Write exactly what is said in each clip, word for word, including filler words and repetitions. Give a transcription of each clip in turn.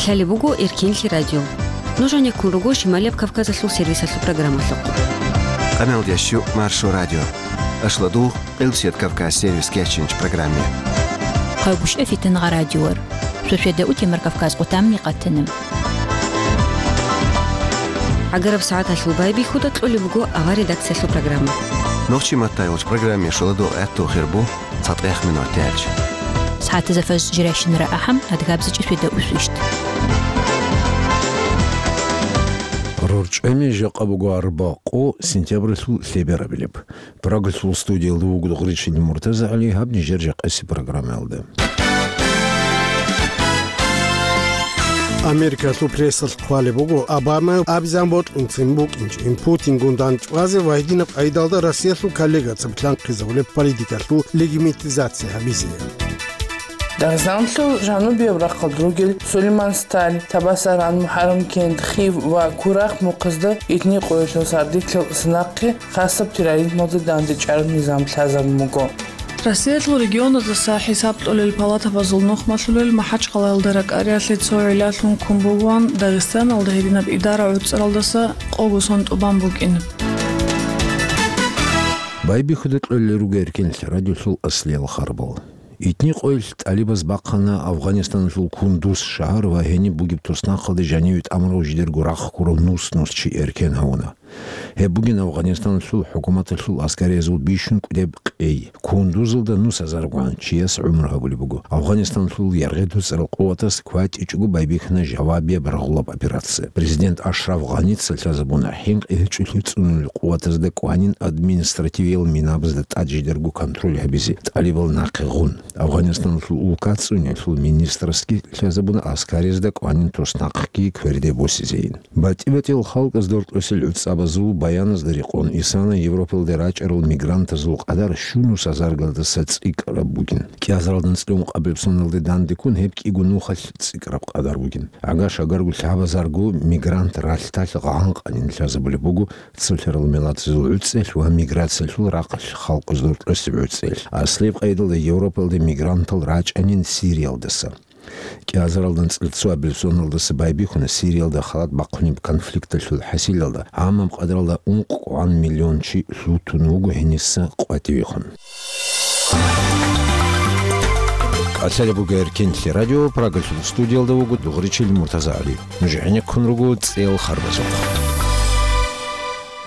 Лъалеб буго Эркенлъи радио. Нуж гьанеккун руго Шималияб Кавказалъул сервисалъул программалъухъ. Къаналдящу Маршо радио. Ашладул, Къилбсият Кавказ сервис кечинч программе. Хъайбушев Фитангъа радиор. Шошеда утемар Кавказ къутамни къатана. Агараб сагӀаталъул байбихьуда кьолеб буго авар редакциялъул программа. Нохчи маттайолч программе шоладо гӀатту хирбу цатӀех минут тяч. СагӀатаза фаз жиращинара ахӀам, адгабзичӀи шведа усвищт. РорчӀами жакъа буго арба къо сентябралъул лъеберабилеб. Прагалъул студиялда вуго Гъричил Муртаза ГӀали, гьаб нижер жакъаси программаялда. Америкалъул прессалъ хъвалеб буго, Обама абизан бокьунцин букӀинчӀин Путингун дандчӀвазе ва гьединаб къайдалда Россиялъул коллегацин план хъизавулеб политикалъул легитимизация гьабизе. Дагъистаналъул жанубияб рахъалда ругел Сулейман Сталь, Табасаран, МухӀаррамкент, Хив ва Курахъ мухъазда итни къоялъул сардилъал санахъе хасаб терроризмалда дандчӀвараб низам лъазабун буго. Россиялъул регионаздаса хӀисаб кьолел палатабазул нухмалъулел МахӀачхъалаялда ракӀариялъе цо гӀиллалъун ккун бугоан Дагъистаналда гьединаб идара гӀуцӀаралдаса къого сон тӀубан букӀин. Байбихьуда кьолел руго Эркенлъи радиолъул аслиял харбал. Итни къоялъ тӀалибаз бахъана Афгъанистаналъул Кундуз шагьар ва гьениб бугеб туснахъалде жаниве тӀамурав жидерго рахъ ккурав нус-нус чи эркен гьавуна. Гьеб бугин Афгъанистаналъул хӀукуматалъул аскариязул бищун кӀудеб къей. Кундузалда нус азаргун чияс гӀумру гьабулеб буго. Афгъанистаналъул яргъи дуцӀарал къуватас кватӀичӀого байбихьана жавабияб рагъулаб операция. Президент Ашраф Гъаница лъазабуна хӀинкъи гьечӀолъи цӀунулел къуватазда кӀванин административиял минабазда тӀад жидерго контроль гьабизе тӀалибал нахъе гъун. Афгъанистаналъул улка цӀуниялъул министрасги лъазабуна аскариязда кӀванин туснахъги кверде босизейин. БатӀи-батӀиял халкъаз доркьосел гӀуцӀабазул баяназда рекъон исана Европалде рачӀарал мигрантазул къадар щунус азаргалдаса цӀикӀкӀараб бугин. КӀиазаралдан цӀикӀкӀун къабилеб соналде дандеккун гьеб кӀиго нухалъ цӀикӀкӀараб къадар бугин. Гьагаш агарго лъабазарго мигрант ралъдалъ гъанкъанин лъазабулеб буго цолъарал миллатазул гӀуцӀелъ ва миграциялъул рахъалъ халкъаз доркьосеб гӀуцӀелъ. Аслияб къайдалда Европалде мигрантал рачӀанин Сириялдаса. КӀиазаралдан цӀилцоабил соналдаса байбихьуна Сириялда халат бахъунеб конфликталъул хӀасилалда гӀамаб къадралда ункъгӀан миллион чи лъутун вуго гьениса къватӀивехун. Калъалеб буго Эркенлъи радио, Прагалъул студиялда вуго Дугъричил Муртазагьли. Нуж гӀенеккун руго цӀел харбазухъ.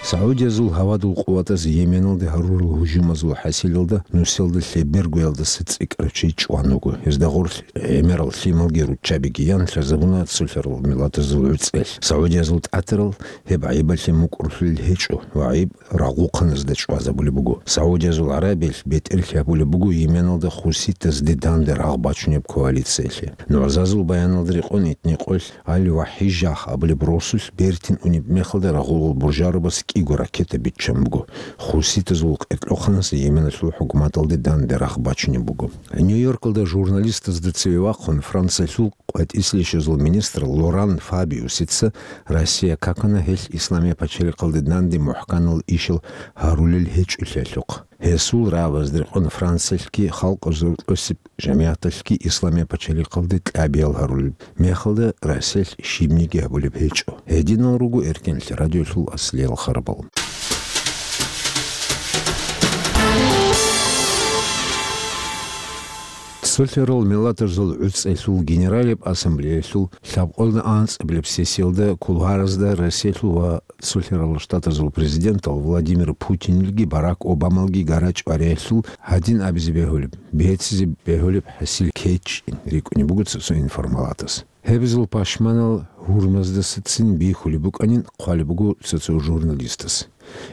Саудиязул гьавадул къуватаз Йеменалде гьарурал гьужумазул хӀасилалда нусиялда лъебергоялдаса цӀикӀкӀарав чи чӀван вуго. Гьезда гъорлъ гӀемерал лъималги руччабиги ян лъазабуна цолъарал миллатазул гӀуцӀелъ. Саудиязул тӀатарал гьеб гӀайибалъе мукӀурлъулел гьечӀо ва гӀайиб рагъухъаназда чӀвазабулеб буго. Саудиязул ГӀарабиялъ бетӀерлъи гьабулеб буго Йеменалда хуситазде данде рагъ бачунеб коалициялъе. НугӀзазул баяналда рекъон итни къоялъ Аль-Вахижах абулеб росулъ бертин унеб мехалда рагъулал буржарабаз кӀиго ракета биччан буго. Хуситазул къеркьоханас Йеменалъул хӀукуматалде данде рагъ бачунеб буго. Нью-Йоркалда журналистазда цеве вахъун Франциялъул къватӀислъищазул министр Лоран Фабиусица Россия какана гьелъ Исламия пачалихъалде данде мухӀканал ишал гьарулел гьечӀолъиялъухъ. Гьесул рагӀабазда рекъон Франциялъги халкъазул кьосеб жамигӀаталъги Исламия пачалихъалде кьабиял гьарулеб мехалда Россиялъ щибниги гьабулеб гьечӀо. Гьединал руго Эркенлъи радиолъул аслиял харбал. Цолъарал миллатазул гӀуцӀелъул генералияб ассамблеялъул лъабкъоялда анцӀабилеб сессиялда кулуаразда Россиялъул ва Цолъарал Штатазул президентал Владимир Путинилги Барак Обамалги гара-чӀвариялъул гьадин абизе бегьулеб, бегьцизе бегьулеб хӀасил ккечӀин рикӀкӀунеб буго цо-цо информалатас. Гьеб зул пашманал гьурмаздасацин бихьулеб букӀанин хъвалеб буго цо-цо журналистас.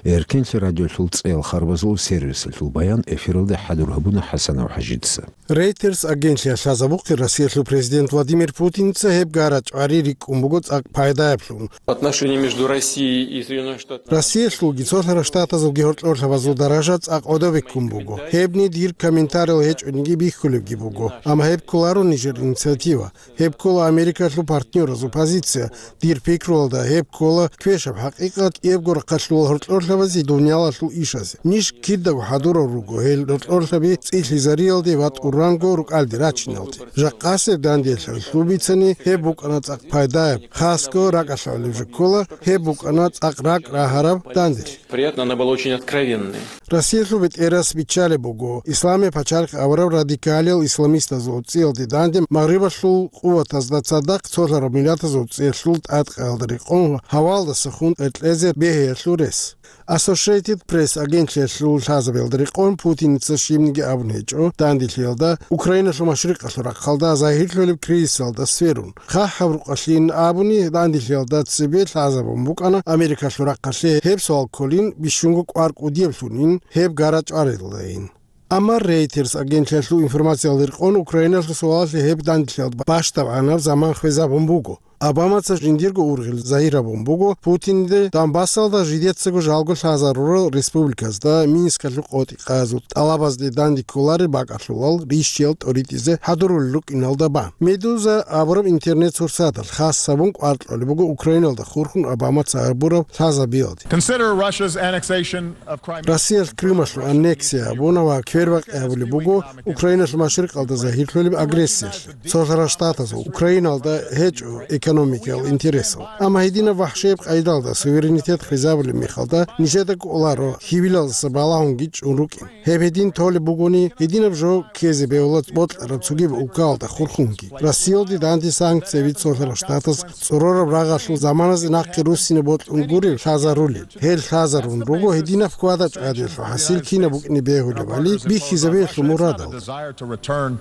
Эркенлъи радиолъул цӀел харбазул сервисалъул баян эфиралда хӀадур гьабуна ХӀасанов ХӀажица. Рейтерс агентлъиялъ лъазабухъе Россиялъул президент Владимир Путинца гьеб гара-чӀвари рикӀкӀун буго цӀакъ пайдаяблъун. Отношения между Россией и Соединёнными Штатами. Россиялъулги Цолъарал Штатазулги гьоркьорлъабазул даража цӀакъ гӀодобе ккун буго. Гьебни дир комментариял гьечӀониги бихьулебги буго. Амма гьеб кколаро нижер инициатива. Гьеб ккола Америкалъул партнёразул позиция. Дир пикруялда гьеб ккола квешаб хӀакъикъат, кӀиябго рахъалъулал рокьорлъабазе дуниялалъул ишазе. Ниж кидаго хӀадурал руго гьел рокьорлъаби цӀилъизариялде ва тӀуранго рукӀалде рачиналде. Жакъасеб данделъ гьелъул бицани гьеб букӀана цӀакъ пайдаяб, хасго ракӀалъалеб жо ккола, гьеб букӀана цӀакъ ракӀ рагьараб данделъ. Приятно, она была очень откровенной. Россиялъул бетӀерас биччалеб буго, Исламияб пачалихъ абураб радикалиял исламистазул цӀиялде данде Магърибалъул къуватазда цадахъ цолъараб миллатазул цӀиялъул тӀадкъаялда рекъон гьавалдаса хун кьезе бегьиялъул рес. Associated Press агентлъиялъул лъазабиялда рекъон Путиница щибниги абун гьечӀо данделъиялда Украиналъул машрикъалъул рахъалда загьирлъулеб кризисалда сверун. ХъахӀаб рукъалъин абуни, данделъиялда цебе лъазабун букӀана Америкалъул рахъалъе гьеб суал кколин, бищунго кӀвар кӀудияблъунин гьеб гара-чӀваралдайин. Амма Reuters агентлъиялъул информациялда рекъон Украиналъул суалалъе гьеб данделъиялда бащдабгӀанаб заман хвезабун буго. Обамаца жиндирго ургъел загьир гьабун буго Путинде Донбассалда жидецаго жалго лъазарурал республиказда Минскалъул къотӀи къазул тӀалабазде данде кколарел бакӀалъулал рищиял тӀоритӀизе хӀадурулел рукӀиналда бан. Медуза абураб интернет-сурсаталъ хас гьабун кӀвар кьолеб буго Украиналда хурхун Обамаца гьабураб лъазабиялде. Consider Russia's annexation of Crimea. Россиялъ Крымалъул аннексия гьабуна ва квербакъи гьабулеб буго Украиналъул машрикъалда загьирлъулеб агрессиялъе. Цолъарал Штатазул Украиналда гьечӀо экономикиял интересал. Амма гьединаб вахӀшияб къайдалда суверенитет хвезабулеб мехалда нижеда кӀоларо хьивилалдаса балагьунги чӀун рукӀин. Гьеб гьедин толеб бугони, гьединаб жо ккезе бегьула бокьараб цогидаб улкаялда хурхунги. Россиялде данде санкцияби Цолъарал Штатаз цӀорораб рагъалъул заманазе нахъе руссине бокьун гуреб лъазарулел. Гьел лъазарун руго гьединаб хьвада-чӀвадиялъул хӀасил кинаб букӀине бегьулебали бихьизабиялъул мурадалда. Desire to return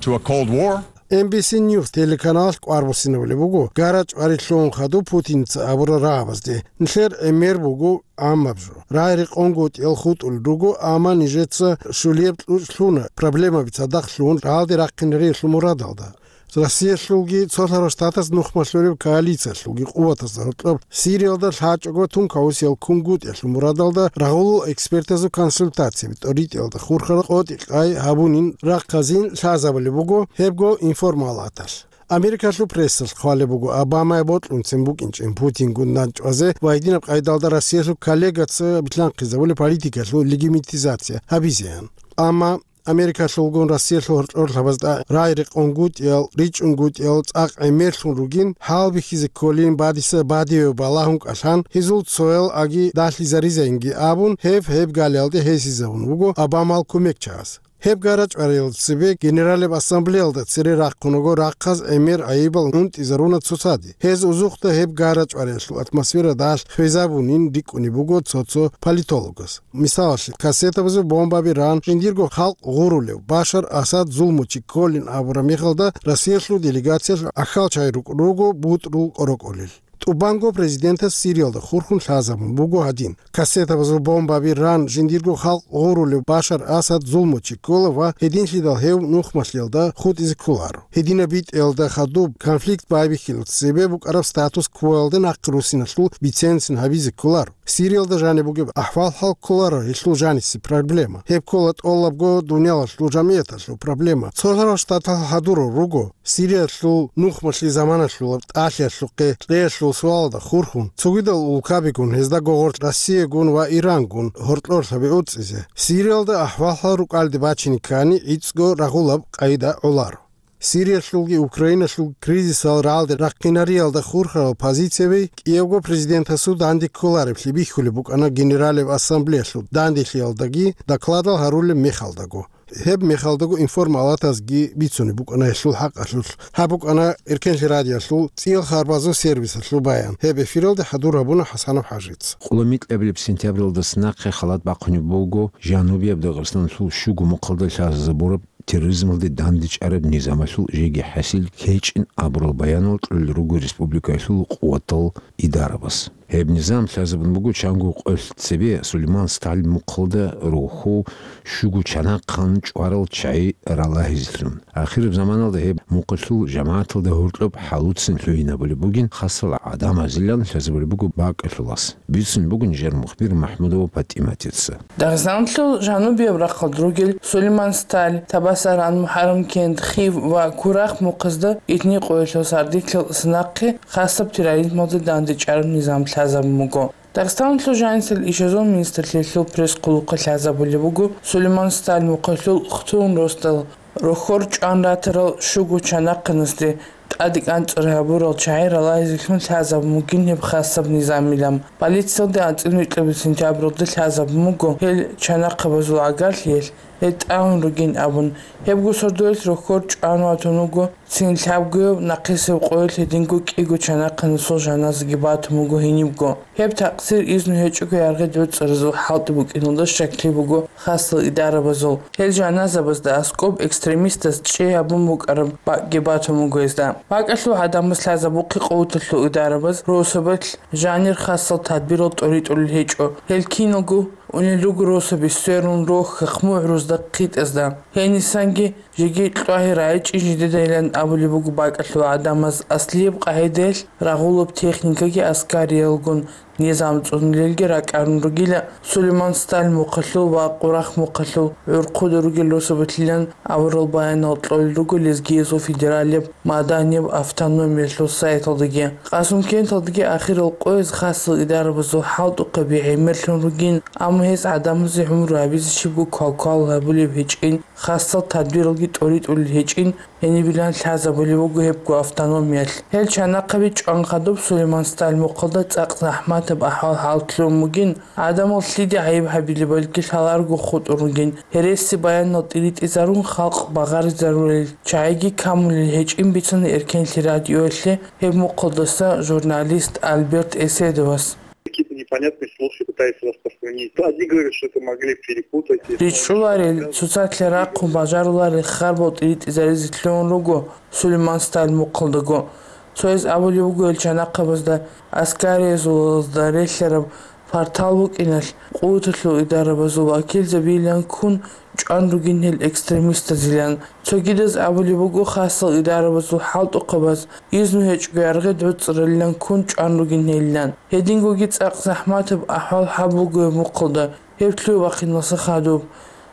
to a Cold War. Эн Би Си Ньюс телеканалалъ кӀвар буссинабулеб буго гара-чӀвари лъугӀун хадуб Путинца абурал рагӀабазде. Нилъер гӀемер буго гӀаммаб жо. Рагъ-рекъонгутӀиял хутӀулел руго, амма нижеца щулияб кьучӀ лъуна проблемаби цадахъ лъугьун рагӀалде рахъинариялъул мурадалда. Россиялъулги Цолъарал Штатаз нухмалъулеб коалициялъулги къуватазда гьоркьоб Сириялда лъачӀого тункаусиял кунгутӀиялъул мурадалда рагъулул экспертазул консультацияби тӀоритӀиялда хурхарал къотӀи-къай гьабунин рахъазин лъазабулеб буго гьебго информалаталъ. Америкалъул прессалъ хъвалеб буго Обамае бокьунцин букӀинчӀин Путингун данчӀвазе ва гьединаб къайдалда Россиялъул коллегаца билълъанхъизабулеб политикалъул легитимизация гьабизеян. Амма Америкалъулгун Россиялъул гьоркьорлъабазда рагӀ-рекъонгутӀиял, ричӀчӀунгутӀиял цӀакъ гӀемерлъун ругин, гьалбихьизе кколин бадиса бадиве балагьун кӀалъан, гьезул цоял аги далъизаризайинги абун, гьеб гьеб галиялде гьесизабун вуго Обамал кумекчагӀаз. Гьеб гара-чӀвариялда цебе Генералеб Ассамблеялда цере рахъун руго рахъаз гӀемер гӀайибал унтӀизаруна цоцаде. Гьез узухъда гьеб гара-чӀвариялъул атмосфера далъ хвезабунин рикӀкӀунеб буго цо-цо политологаз. Мисалалъе, кассетабазул бомбаби ран, жиндирго халкъ гъурулев Башар Асад зулмучи кколин абураб мехалда, Россиялъул делегациялъ ахьалчагӀи рукӀ-, руго бутӀрул кӀорокӀолел. ТӀубанго президентас Сириялда хурхун лъазабун буго гьадин: кассетабазул бомбаби ран, жиндирго халкъ гъурулев Башар Асад зулмучи ккола ва гьединлъидал гьев нухмалъиялда хутӀизе кколаро. Гьединаб битӀиялда хадуб конфликт байбихьилалъ цебе букӀараб статус-квоялда нахъе руссиналъул бицен-бицен гьабизе кколаро. Сириялда жаниб бугеб ахӀвал-хӀал кколаро гьелъул жанисе проблема. Гьеб ккола тӀолабго дуниялалъул жамигӀаталъул проблема. Цолъарал Штаталъ хӀадурал руго Сириялъул нухмалъи заманалъулаб тӀалъиялъухъе кьеялъул суалалда хурхун, цогидал улкабигун, гьезда гогъорлъ Россиягун ва Ирангун гьоркьорлъаби уцӀизе. Сириялда ахӀвал-хӀал рукӀалде бачине ккани, гӀицӀго рагъулаб къайда гӀоларо. Сириялъулги Украиналъул кризисал рагӀалде рахъинариялда хурхарал позицияби кӀиябго президентасул данде кколареблъи бихьулеб букӀана Генералеб Ассамблеялъул данделъиялдаги докладал гьарулеб мехалдаго. Гьеб мехалдаго информалатазги бицунеб букӀана гьелъул хӀакъалъулъ. Гьаб букӀана Эркенлъи радиоялъул цӀиял харбазул сервисалъул баян. Гьеб эфиралде хӀадур гьабуна ХӀасанов ХӀажица. Къулмикьабилеб сентябралдаса нахъе халат бахъунеб буго Жанубияб Дагъистаналъул щуго мухъалда лъазабураб терроризмалде дандечӀараб низамалъул жеги хӀасил ккечӀин абурал баянал кьолел руго республикаялъул къуватал идарабаз. Гьеб низам лъазабун буго чанго къоялъ цебе Сулейман Сталин мухъалда рохьул щуго чанахъан чӀварал чагӀи ралагьизелъун. Ахираб заманалда гьеб мухъалъул жамагӀаталда гьоркьоб хӀалуцин лъугьинабулеб бугин, хасал гӀадамазилан лъазабулеб буго бакӀалъулас. Бицун бугин жер мухбир МахӀмудова ПатӀиматица. Дагъистаналъул жанубияб рахъалда ругел Сулейман Сталин, Табасаран, МухӀаррамкент, Хив ва Курахъ мухъазда итни къоялъул сардилъал нахъе хасаб терроризмалда дандечӀараб низам лъазабун буго. Дагъистаналъул жанисел ишазул министрлъиялъул пресс-хъулухъа лъазабулеб буго Сулейман Сталин мухъалъул хтун росдал рохьор чӀван ратарал щуго чанахъанасде тӀаде кӀанцӀру гьабурал чагӀи ралайзелъун лъазабун бугин гьеб хасаб низамилан. Полициялда анцӀила витӀлабил сентябралда лъазабун буго гьел чанахъабазул гӀагарлъиялъ гьел тӀагӀун ругин абун. Гьебго сордоялъ рохьор чӀван ватун вуго, цин лъабгояб нахъисеб къоялъ гьединго кӀиго чанахъанасул жаназаги батун буго гьенибго. Гьеб такъсир изну гьечӀого яргъи доцӀцӀаразул хӀалтӀи букӀиналда щаклъи буго хасал идарабазул. Гьел жаназабазда аскӀоб экстремистаз чӀей гьабун букӀараб бакӀги батун буго гьезда. БакӀалъул гӀадамаз лъазабухъе къуваталъул идарабаз росабалъ жанир хасал тадбирал тӀоритӀулел гьечӀо. Гьел киналго унел руго росаби сверун рохьахъ мугӀрузда хъитӀазда. Гьенисанги жеги кьвагьи рагӀичӀин жидедайилан абулеб буго бакӀалъул гӀадамаз аслияб къагӀидаялъ рагъулаб техникаги аскариялгун низам цӀунулелги ракӀарун ругила Сулейман Сталин мухъалъул ва Къурахъ мухъалъул гӀурхъуда ругел росабалъилан аварал баянал кьолел руго лезгиязул федералияб маданияб автономиялъул сайталдаги. Къасумкенталдаги ахирал къояз хасал идарабазул хӀалтӀухъаби гӀемерлъун ругин, амма гьез гӀадамазе гӀумру гьабизе щибго квалквал гьабулеб гьечӀин, хасал тадбиралги тӀоритӀулел гьечӀин, гьенибилан лъазабулеб буго гьебго автономиялъ. Гьел чанахъаби чӀван хадуб Сулейман Сталин мухъалда цӀакъ захӀматаб ахӀвал-хӀал лъугӀун бугин, гӀадамал лъиде гӀайиб гьабилебалги лъаларого хутӀун ругин, гьереси баянал тӀиритӀизарун халкъ багъаризарулел чагӀиги камулел гьечӀин бицана Эркенлъи радиоялъе гьеб мухъалдаса журналист Альберт Эседовас. Какие-то непонятные слухи пытаются распространить. Одни говорят, что это могли перепутать. РичӀчӀуларел, цоцалъе рахъун бажаруларел харбал тӀиритӀизаризе лъугӀун руго Сулейман Сталин мухъалдаго. Цояз абулеб буго гьел чанахъабазда аскариязулазда релълъараб партал букӀиналъ, къуваталъул идарабазул вакилзабийилан ккун чӀван ругин гьел экстремистазилан. Цогидаз абулеб буго хасал идарабазул хӀалтӀухъабаз изну гьечӀго яргъи доцӀцӀаралилан ккун чӀван ругин гьелилан. Гьедингоги цӀакъ захӀматаб ахӀвал гьаб буго гьеб мухъалда, гьеб лъугӀа-бахъиналъа хадуб.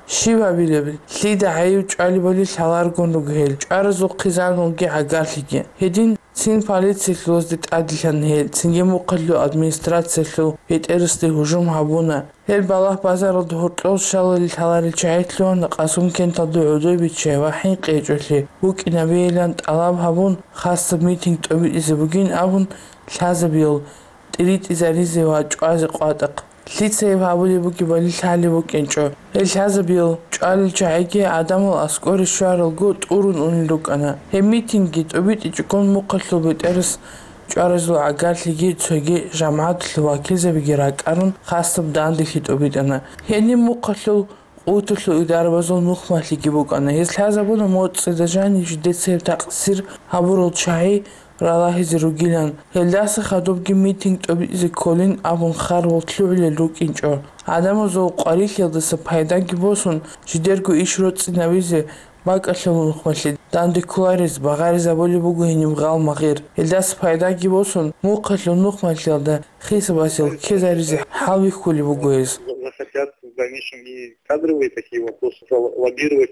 Щиб гьабилеб? Лъида гӀайиб чӀвалебали лъаларгун руго гьел, чӀваразул хъизаналги гӀагарлъиги. Гьедин цин полициялъулазде тӀаделъана гьел, цинги мухъалъул администрациялъул бетӀерасде гьужум гьабуна. Гьел балагь-базаралда гьоркьов щалали лъаларел чагӀи лъугьана Къасумкенталда гӀодобиччай ва ХӀинкъичӀолъи букӀинабейилан тӀалаб гьабун, хасаб митинг тӀобитӀизе бугин абун, лъазабиял тӀиритӀизаризе ва чӀвазе къватӀахъ. Лъицайиб гьабулеб бугебали лъалеб букӀинчӀо. Гьел лъазабиял чӀвалел чагӀиги гӀадамал аскӀоре щваралго тӀурун унел рукӀана. Гьеб митингги тӀобитӀичӀогон мухъалъул бетӀерас чӀваразул гӀагарлъиги цоги жамагӀаталъул вакилзабиги ракӀарун, хасаб данделъи тӀобитӀана. Гьениб мухъалъул къуваталъул идарабазул нухмалъиги букӀана. Гьез лъазабуна моцӀида жанив жидеца гьеб такъсир гьабурал чагӀи ралагьизе ругилан. Гьелдаса хадубги митинг тӀобитӀизе кколин абун харбал лъугӀулел рукӀинчӀо. ГӀадамазул къварилъиялдаса пайдаги босун, жидерго иш роцӀцӀинабизе бакӀалъул нухмалъе данде кколарез багъаризабулеб буго гьениб гъал-магъир. Гьелдаса пайдаги босун, мухъалъул нухмалъиялда хисабасел ккезаризе хӀалбихьулеб буго гьез. Захотят в дальнейшем и кадровые такие вопросы лоббировать.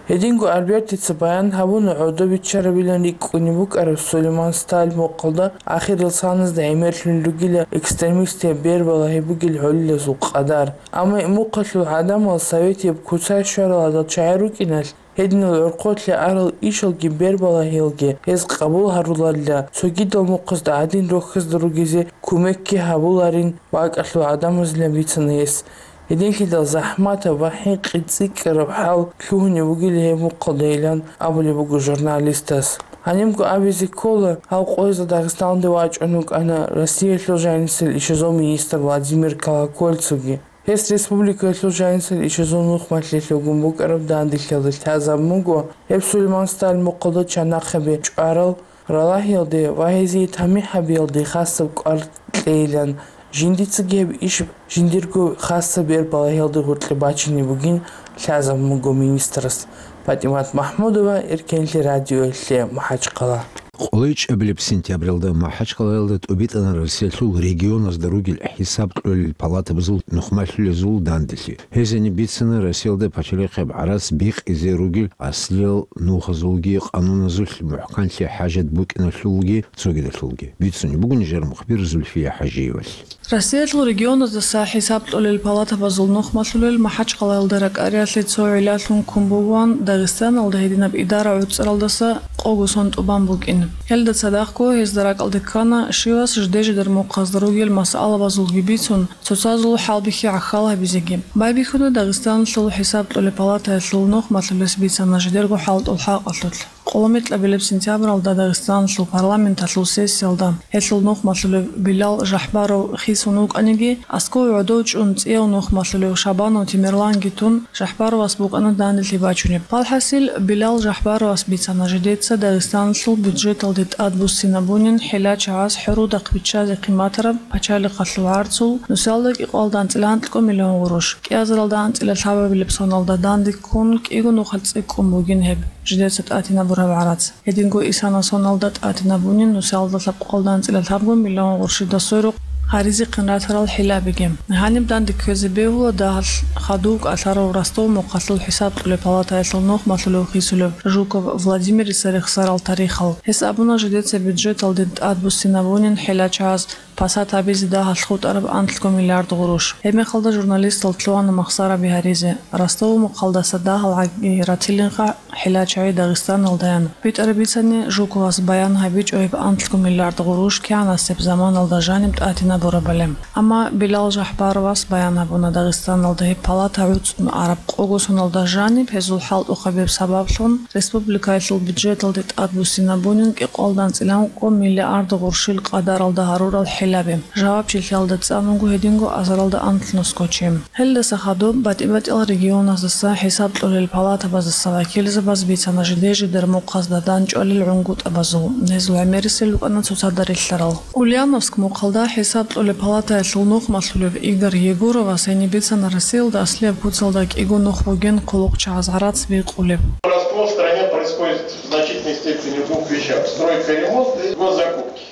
Гьединго Альбертица баян гьабуна гӀодобиччарабилан рикӀкӀунеб букӀараб Сулейман Сталин мухъалда ахирал саназда гӀемерлъун ругила экстремистияб бербалагьи бугел гӀолилазул къадар. Амма мухъалъул гӀадамал советияб куцай щварал гьадал чагӀи рукӀиналъ, гьединал гӀорхъолъе арал ишалги бербалагьиялги гьез къабул гьаруларила, цогидал мухъазда гӀадин рохьазда ругезе кумекги гьабуларин бакӀалъул гӀадамазилан бицана гьес. Гьединлъидал захӀматаб ва хӀинкъи цӀикӀкӀараб хӀал лъугьунеб бугила гьеб мухъалдайилан абулеб буго журналистас. Гьанибго абизе ккола, гьав къоязда Дагъистаналде вачӀун вукӀана Россиялъул жанисел ишазул министр Владимир Колокольцевги. Гьес республикаялъул жанисел ишазул нухмалъе лъугьун букӀараб данделъиялда лъазабун буго гьеб Сулейман Сталин мухъалда чанахъаби чӀварал ралагьиялде ва гьезие тамихӀ гьабиялде хасаб кӀвар кьейилан, жиндицаги гьеб иш жиндирго хасаб бербалагьиялда гъоркье бачине бугин лъазабун буго министрас. ПатӀимат МахӀмудова, Эркенлъи радиоялъе, МахӀачхъала. КъолайчӀабилеб сентябралда МахӀачкъалаялда тӀубитӀана Россиялъул регионазда ругел хӀисаб кьолел палатабазул нухмалъулезул данделъи. Гьезани бицана Россиялда пачалихъеб гӀарац бикъизе ругел аслиял нухазулги къануназулъ мухӀканлъи хӀажат букӀиналъулги цогидалъулги. Бицунеб буго нижер мухбир Зульфия ХӀажиевалъ. Россиялъул регионаздаса хӀисаб кьолел палатабазул нухмалъулел МахӀачкъалаялда ракӀариялъе цо гӀиллалъун ккун бугоан Дагъистаналда гьединаб идара гӀуцӀаралдаса къого сон тӀубан букӀин. Гьелда цадахъго гьезда ракӀалде ккана щивас жиде-жидер мухъазда ругел масъалабазулги бицун, цоцазул хӀалбихьи гӀахьал гьабизеги. Байбихьуна Дагъистаналъул хӀисаб кьолеб палатаялъул нухмалъулес бицана жидерго хӀалтӀул хӀакъалъулъ. Къолометлъабилеб сентябралда Дагъистаналъул парламенталъул сессиялда гьелъул нухмалъулев Билал Жахбаров хисун вукӀаниги, асков гӀодов чӀун цӀияв нухмалъулев Шабанов Темирланги тун, Жахбаровас букӀана данделъи бачунеб. Палхасил, Билал Жахбаровас бицана жидеца Дагъистаналъул бюджеталде тӀад буссинабунин хӀилачагӀаз хӀурудахъ биччазе хъиматараб пачалихъалъул гӀарцул нусалда кӀикъоялда анцӀила анкьго миллион гъурущ, кӀиазаралда анцӀила лъабабилеб соналда данде ккун кӀиго нухалъ цӀикӀкӀун бугин гьеб жидеца тӀатинабураб гӀарац. Гьединго исана соналда тӀатинабунин нусалда лъабкъоялда анцӀила лъабго миллион гъурущида сверухъ гьаризехъин ратарал хӀилабиги. Гьаниб данде кквезе бегьула дагьалъ хадув кӀалъарав Ростов мухъалъул хӀисаб кьолеб палатаялъул нухмалъулев хисулев Жуков Владимирица рехсарал тарихал. Гьес абуна жидеца бюджеталде тӀад буссинабунин хӀилачагӀаз пасат гьабизе дагьалъ хутӀараб анлъго миллиард гъурущ. Гьебмехалда журналистал лъугьана махсараби гьаризе. Ростов мухъалдаса дагьал гӀаги ратилинха хӀилачагӀи Дагъистаналдаян. БитӀараб бицани, Жуковас баян гьабичӀо гьеб анлъго миллиард гъурущ кигӀанасеб заманалда жаниб тӀатинабурабали. Амма Билал Жахбаровас баян гьабуна Дагъистаналда гьеб палата гӀуцӀун араб къого соналда жаниб гьезул хӀалтӀухъабиб сабаблъун республикаялъул бюджеталде тӀад буссинабунин кӀикъоялда анцӀила анкьго миллиард гъурущил къадаралда гьарурал хӀилаби. Жавабчилъиялда цӀанунго гьединго азаралда анлънусго чи. Гьелдаса хадуб батӀи-батӀиял регионаздаса хӀисаб кьолел палатабаздаса вакилзабаз бицана жиде-жидер мухъазда данчӀвалел гӀунгутӀабазул, гьезул гӀемерисел рукӀана цоцазда релълъарал. Ульяновск мухъалда хӀисаб кьолеб палатаялъул нухмалъулев Игорь Егоровас гьениб бицана Россиялда аслияб куцалда кӀиго нух бугин хъулухъчагӀаз гӀарац бикъулеб. У нас в стране происходит в значительной степени в двух вещах: стройка и ремонт и госзакупки.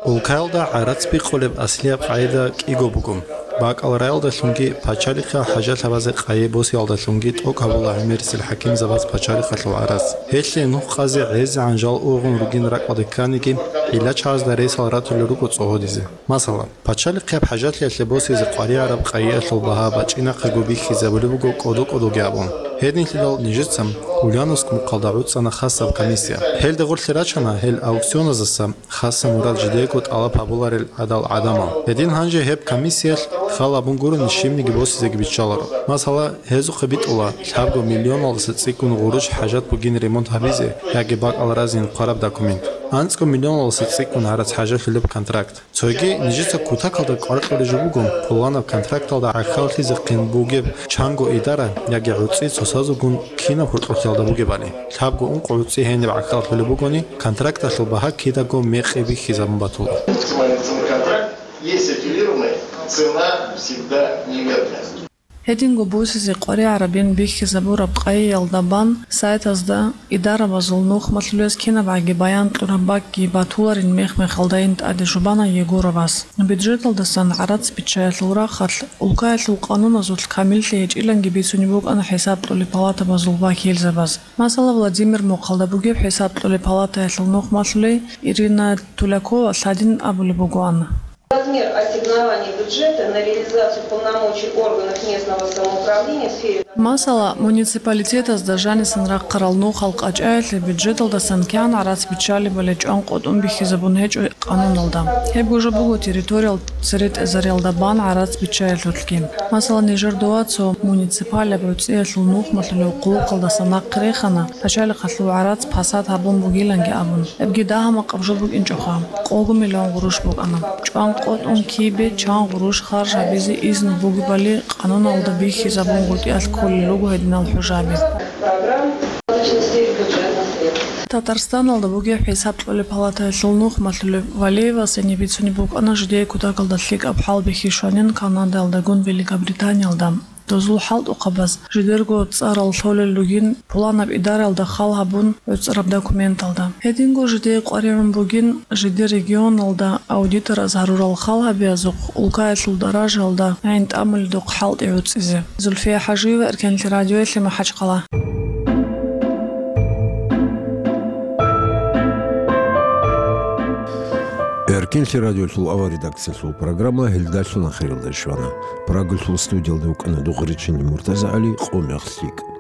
Улкаялда гӀарац бикъулеб аслияб къагӀида кӀиго буго: бакӀал раялдалъунги, пачалихъал хӀажат гьабазе къайи босиялдалъунги тӀокӀ гьабула гӀемерисел хӀакимзабаз пачалихъалъул гӀарац. Гьелъие нух къазе гӀезегӀан жал ургъун ругин ракӀалде кканиги, гӀилла-чагӀазда ресал ратулел руго цӀогьодизе. Масала, пачалихъияб хӀажатлъиялъе босизе къваригӀараб къайиялъул багьа бачӀинахъего бихьизабулеб буго кӀодо-кӀодоги абун. Гьединлъидал нижеца Ульяновск мухъалда гӀуцӀана хасаб комиссия. Гьелда гъорлъе рачана гьел аукционаздаса хасаб мурад жидего тӀалаб гьабуларел гӀадал гӀадамал. Гьедин гьанже гьеб комиссиялъ хал абун гурони щибниги босизеги биччаларо. Масала, гьезухъе битӀула лъабго миллионалдаса цӀикӀкӀун гъурущ хӀажат бугин ремонт гьабизе яги бакӀал разин хъвараб документ, анцӀго миллионалдаса цӀикӀкӀун гӀарац хӀажалъулеб контракт. Цоги нижеца кутакалда кӀвар-кьураб жо буго, пуланаб контракталда гӀахьаллъизехъин бугеб чанго идара яги гӀуцӀи цоцазулгун кинаб гьоркьохъялда бугебали. Лъабго-ункъо гӀуцӀи гьениб гӀахьаллъулеб бугони, контракталъул багьа кидаго мекъи бихьизабун батула. Максимальный ценовой контракт есть аффилированный, цена всегда неверная. Гьединго босизе къваригӀарабин бихьизабураб къайиялда бан сайтазда идарабазул нухмалъулез кинабгӀаги баян кьураб бакӀги батуларин мех-мехалдайин тӀаде жубана Егоровас. Бюджеталдасан гӀарац биччаялъул рахъалъ улкаялъул къануназулъ камиллъи гьечӀиланги бицунеб букӀана хӀисаб кьолеб палатабазул вакилзабаз. Масала, Владимир мухъалда бугеб хӀисаб кьолеб палатаялъул нухмалъулей Ирина Тулякова лъадин абулеб бугоан. Размер ассигнований бюджета на реализацию полномочий органов местного самоуправления в сфере... Масала, муниципалитетазда жанисан рахъарал нухал къачӀаялъе бюджеталдасан кигӀан гӀарац биччалебали чӀван къотӀун бихьизабун гьечӀо къануналда. Гьеб гужа буго территориял цере тӀезариялда бан гӀарац биччаялъулъги. Масала, нижер дова цо муниципалияб гӀуцӀиялъул нухмалъулев хъулухъалдаса нахъе рехана, пачалихъалъул гӀарац пасат гьабун бугиланги абун. Гьебги дагьа-макъаб жо букӀинчӀоха, къого миллион гъурущ букӀана. ЧӀван къотӀун кибе чан гъурущ харж гьабизе изну бугебали къануналда бихьизабун гъутӀиялъ кколел руго гьединал хӀужаби. Программ достаточно сеть бюджетных средств. Татарстаналда бугеб хӀисаб кьолеб палатаялъул нухмалъулев Валеевас гьениб бицунеб букӀана жидее кутакалда лъикӀаб хӀалбихьи щванин Канадаялдагун Великобританиялда. дозул хӀалтӀухъабаз жидерго цӀарал лъолел ругин пуланаб идараялда хал гьабун гӀуцӀараб документалда. Гьединго жидее къваригӀун бугин жидер регионалда аудитораз гьарурал хал гьабиязухъ улкаялъул даражаялда гӀин тӀамуледухъ хӀалтӀи гӀуцӀизе. Зульфия ХӀажиева, Эркенлъи радиоялъе, МахӀачхъала. Эркенлъи радиолъул авал редакциялъул программа гьелдалъун ахиралде щвана. Прагалъул студиялда вукӀана Дугъричинни МуртазагӀали, Къумягъ лъикӀ.